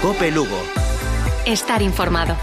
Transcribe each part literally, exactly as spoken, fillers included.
COPE Lugo. Estar informado.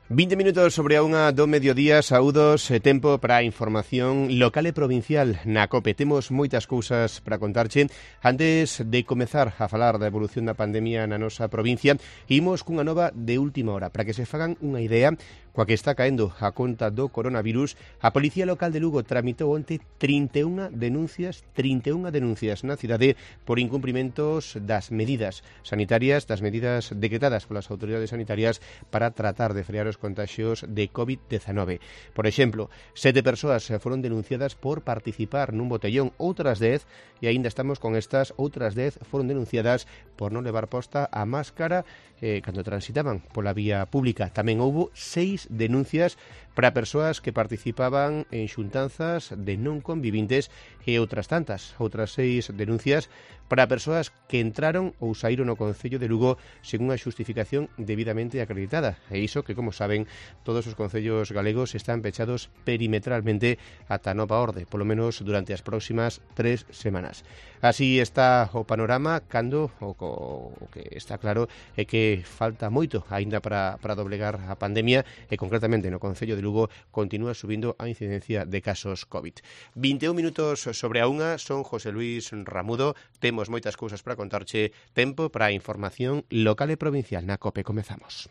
vinte minutos sobre a unha do mediodía, saúdos e tempo para a información local e provincial na COPE. Temos moitas cousas para contarche. Antes de comezar a falar da evolución da pandemia na nosa provincia, imos cunha nova de última hora. Para que se fagan unha idea, coa que está caendo a conta do coronavirus, a Policía Local de Lugo tramitou onte trinta e unha denuncias, trinta e unha denuncias na cidade por incumprimentos das medidas sanitarias, das medidas decretadas polas autoridades sanitarias para tratar de frear os contagios de covid diecinueve. Por exemplo, sete persoas foron denunciadas por participar nun botellón, outras dez, e aínda estamos con estas, outras dez foron denunciadas por non levar posta a máscara eh, cando transitaban pola vía pública. Tamén houbo seis denuncias para persoas que participaban en xuntanzas de non convivintes e outras tantas, outras seis denuncias para persoas que entraron ou saíron ao Concello de Lugo sen unha xustificación debidamente acreditada. E iso que, como saben, todos os concellos galegos están pechados perimetralmente ata nova orde, polo menos durante as próximas tres semanas. Así está o panorama cando o, o que está claro é que falta moito aínda para, para doblegar a pandemia e concretamente no Concello de Lugo continúa subindo a incidencia de casos COVID. vinte e un minutos sobre a unha, son José Luis Ramudo, temos moitas cousas para contarche, tempo para a información local e provincial na COPE. Comezamos.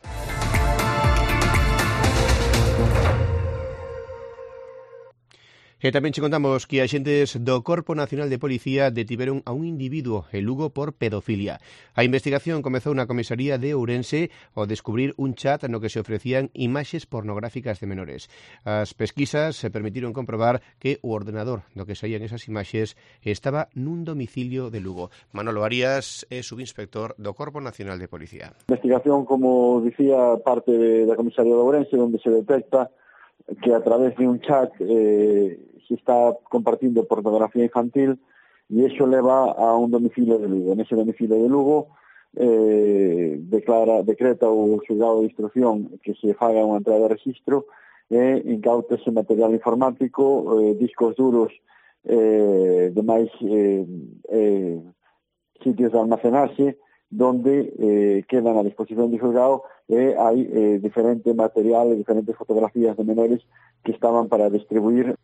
E tamén che contamos que axentes do Corpo Nacional de Policía detiveron a un individuo en Lugo por pedofilia. A investigación comezou na comisaría de Ourense ao descubrir un chat no que se ofrecían imaxes pornográficas de menores. As pesquisas se permitiron comprobar que o ordenador do que saían esas imaxes estaba nun domicilio de Lugo. Manolo Arias é subinspector do Corpo Nacional de Policía. A investigación, como dicía, parte de, da comisaría de Ourense, onde se detecta que a través de un chat eh, se está compartindo pornografía infantil e iso leva a un domicilio de Lugo. Nese domicilio de Lugo eh, declara, decreta o xulgado de instrucción que se faga unha entrada de registro e incautase material informático, eh, discos duros, eh, demais eh, eh, sitios de almacenaxe donde eh, quedan a disposición do xulgado e hai eh, diferente material e diferentes fotografías de menores que estaban para distribuir.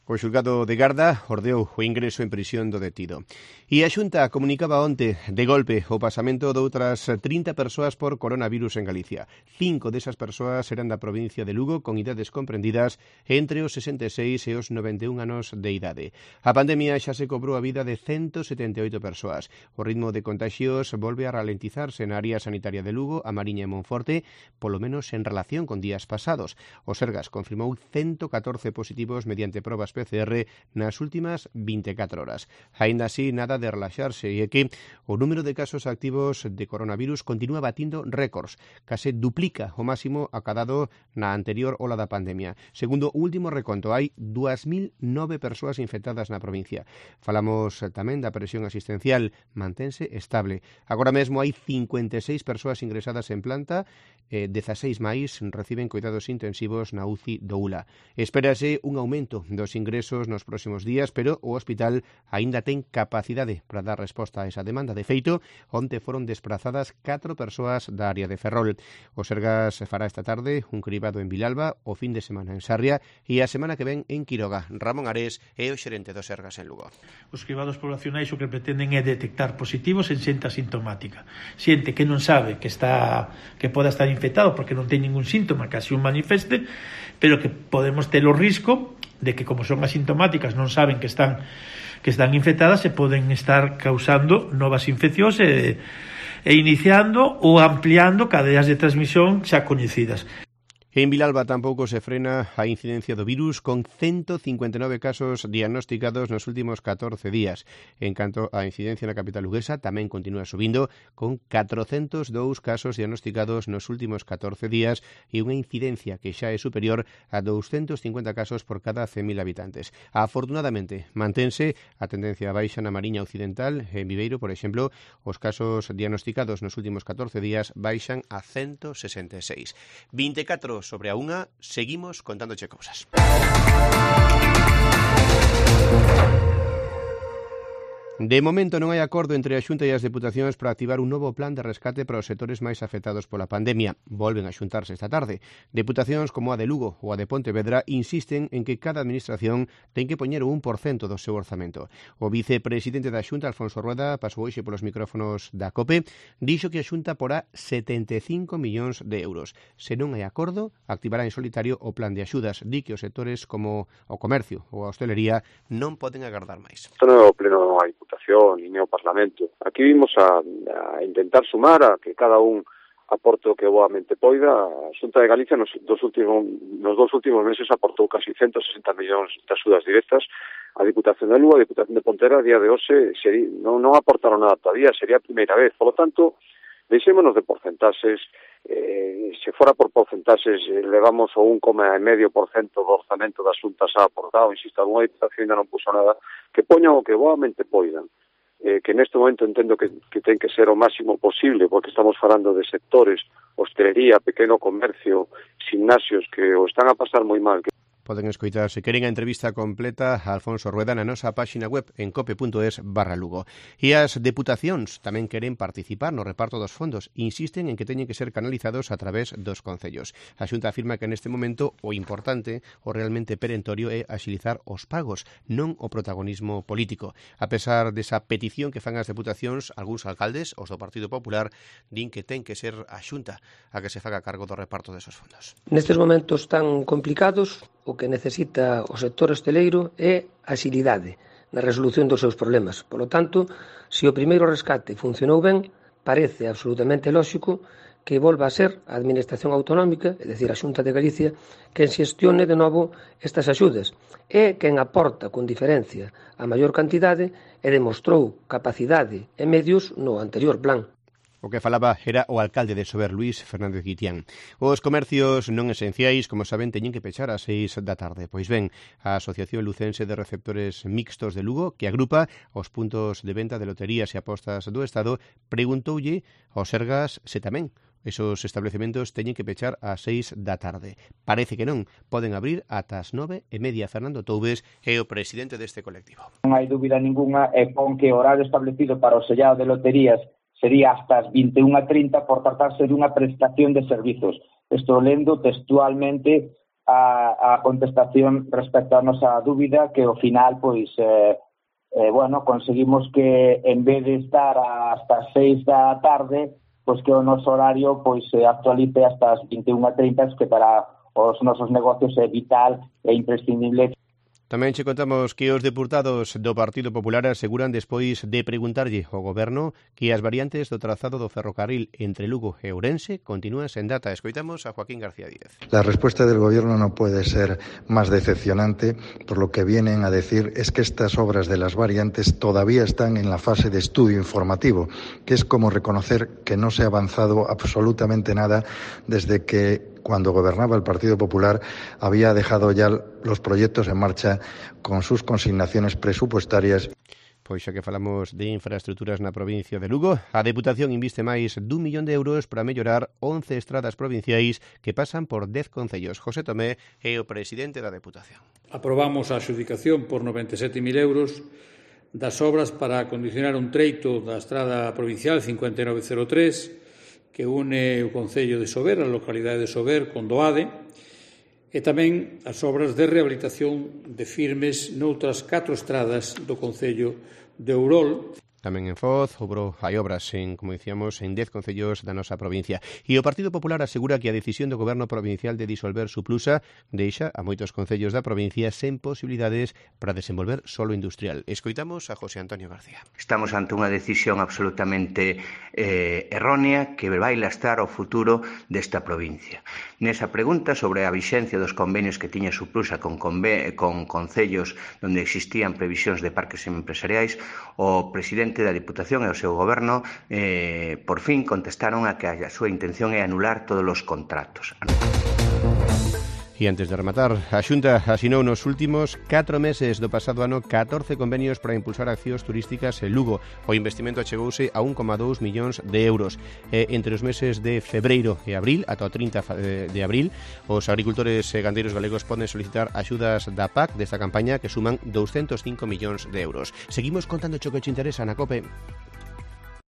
O xulgado de Garda ordeou o ingreso en prisión do detido. E a Xunta comunicaba onte, de golpe, o pasamento de outras trinta persoas por coronavirus en Galicia. Cinco desas persoas eran da provincia de Lugo con idades comprendidas entre os sesenta e seis e os noventa e un anos de idade. A pandemia xa se cobrou a vida de ciento setenta e oito persoas. O ritmo de contagios volve a ralentizarse na área sanitaria de Lugo, a Mariña e Monforte, polo menos en relación con días pasados. O Sergas confirmou ciento catorce positivos mediante probas P C R nas últimas vinte e catro horas. Aínda así, nada de relaxarse, e é que o número de casos activos de coronavirus continúa batindo récords, case duplica o máximo acadado na anterior ola da pandemia. Segundo o último reconto, hai dúas mil nove persoas infectadas na provincia. Falamos tamén da presión asistencial, mantense estable. Agora mesmo hai cincuenta e seis persoas ingresadas en planta, e dezaseis máis reciben cuidados intensivos na U C I do U L A. Espérase un aumento dos ingresos nos próximos días, pero o hospital aínda ten capacidade para dar resposta a esa demanda. De feito, onte foron desprazadas catro persoas da área de Ferrol. O Sergas fará esta tarde un cribado en Vilalba, o fin de semana en Sarria e a semana que ven en Quiroga. Ramón Ares é o xerente do Sergas en Lugo. Os cribados poblacionais o que pretenden é detectar positivos en xente asintomática. Xente que non sabe que está que poda estar infectado porque non ten ningún síntoma que así un manifeste, pero que podemos ter o risco de que, como son asintomáticas, non saben que están que están infectadas e poden estar causando novas infeccións e, e iniciando ou ampliando cadeas de transmisión xa coñecidas. En Vilalba tampouco se frena a incidencia do virus, con ciento cincuenta e nove casos diagnosticados nos últimos catorce días. En canto á incidencia na capital luguesa, tamén continúa subindo, con catrocentos dous casos diagnosticados nos últimos catorce días e unha incidencia que xa é superior a douscentos cincuenta casos por cada cen mil habitantes. Afortunadamente, mantense a tendencia baixa na Mariña Occidental. En Viveiro, por exemplo, os casos diagnosticados nos últimos catorce días baixan a ciento sesenta e seis. vinte e catro sobre a unha, seguimos contándoche cousas. De momento non hai acordo entre a Xunta e as Deputacións para activar un novo plan de rescate para os sectores máis afectados pola pandemia. Volven a xuntarse esta tarde. Deputacións como a de Lugo ou a de Pontevedra insisten en que cada administración ten que poñer o un por cento do seu orzamento. O vicepresidente da Xunta, Alfonso Rueda, pasou hoxe polos micrófonos da COPE, dixo que a Xunta porá setenta e cinco millóns de euros. Se non hai acordo, activará en solitario o plan de axudas. Di que os sectores como o comercio ou a hostelería non poden agardar máis. Isto non é o pleno da Diputación e o Parlamento. Aquí vimos a, a intentar sumar a que cada un aporte o que boamente poida. A Xunta de Galicia nos dos últimos nos dos últimos meses aportou casi ciento sesenta millóns de axudas directas. A Diputación de Lugo, a Diputación de Pontevedra, a día de hoxe sería, non, non aportaron nada todavía, sería a primeira vez. Por lo tanto, deixémonos de porcentaxes. Eh, se fora por porcentaxes, eh, levamos o un coma cinco por cento do orzamento das xuntas a aportado. Insisto, alguna diputación ainda non puso nada. Que poñan o que boamente poidan. Eh, que neste momento entendo que, que ten que ser o máximo posible, porque estamos falando de sectores, hostelería, pequeno comercio, gimnasios, que o están a pasar moi mal. Poden escoitar, se queren, a entrevista completa a Alfonso Rueda na nosa páxina web en cope punto es barra Lugo. E as deputacións tamén queren participar no reparto dos fondos. Insisten en que teñen que ser canalizados a través dos concellos. A Xunta afirma que neste momento o importante, o realmente perentorio, é axilizar os pagos, non o protagonismo político. A pesar desa petición que fan as deputacións, algúns alcaldes, os do Partido Popular, din que ten que ser a Xunta a que se faga cargo do reparto desos fondos. Nestes momentos tan complicados, o que necesita o sector hosteleiro é axilidade na resolución dos seus problemas. Por lo tanto, se o primeiro rescate funcionou ben, parece absolutamente lóxico que volva a ser a Administración Autonómica, é dicir, a Xunta de Galicia, quen xestione de novo estas axudas. É quen aporta con diferencia a maior cantidade e demostrou capacidade e medios no anterior plan. O que falaba era o alcalde de Sober, Luís Fernández Guitián. Os comercios non esenciais, como saben, teñen que pechar ás seis da tarde. Pois ben, a Asociación Lucense de Receptores Mixtos de Lugo, que agrupa os puntos de venta de loterías e apostas do Estado, preguntoulle aos Sergas se tamén esos establecementos teñen que pechar ás seis da tarde. Parece que non, poden abrir ata as nove e media. Fernando Toubes é o presidente deste colectivo. Non hai dúbida ninguna e con que o horario establecido para o sellado de loterías sería hasta as vinte e unha e trinta por tratarse de unha prestación de servizos. Estou lendo textualmente a, a contestación respecto a nosa dúbida, que ao final, pois, eh, eh, bueno, conseguimos que en vez de estar hasta as seis da tarde, pois que o noso horario pois se actualice hasta as vinte e unha e trinta, que para os nosos negocios é vital e imprescindible. Tamén che contamos que os deputados do Partido Popular aseguran, despois de preguntarlle ao Goberno, que as variantes do trazado do ferrocarril entre Lugo e Ourense continúan sen data. Escoitamos a Joaquín García Díez. La respuesta del Gobierno no puede ser más decepcionante, por lo que vienen a decir es que estas obras de las variantes todavía están en la fase de estudio informativo, que es como reconocer que no se ha avanzado absolutamente nada desde que, cuando gobernaba el Partido Popular, había dejado ya los proyectos en marcha con sus consignaciones presupuestarias. Pois xa que falamos de infraestructuras na provincia de Lugo, a Deputación inviste máis dun millón de euros para mellorar once estradas provinciais que pasan por dez concellos. José Tomé é o presidente da Deputación. Aprobamos a adxudicación por noventa e sete mil euros das obras para acondicionar un treito da estrada provincial cincuenta e nove cero tres, que une o concello de Sober, a localidade de Sober, con Doade, e tamén as obras de rehabilitación de firmes noutras catro estradas do concello de Ourol. Tamén en Foz, obro, hai obras, en, como dicíamos, en dez concellos da nosa provincia. E o Partido Popular asegura que a decisión do Goberno provincial de disolver Suplusa deixa a moitos concellos da provincia sen posibilidades para desenvolver solo industrial. Escoitamos a José Antonio García. Estamos ante unha decisión absolutamente eh, errónea que vai lastrar o futuro desta provincia. Nesa pregunta sobre a vixencia dos convenios que tiña Suplusa con, conve con concellos onde existían previsións de parques empresariais, o presidente da Diputación e o seu goberno eh, por fin contestaron a que a súa intención é anular todos os contratos. E antes de rematar, a Xunta asinou nos últimos catro meses do pasado ano catorce convenios para impulsar accións turísticas en Lugo. O investimento achegouse a un coma dous millóns de euros. E entre os meses de febreiro e abril, ata o trinta de abril, os agricultores e gandeiros galegos poden solicitar axudas da P A C desta campaña que suman doscientos cinco millóns de euros. Seguimos contando cho que che interesa na COPE.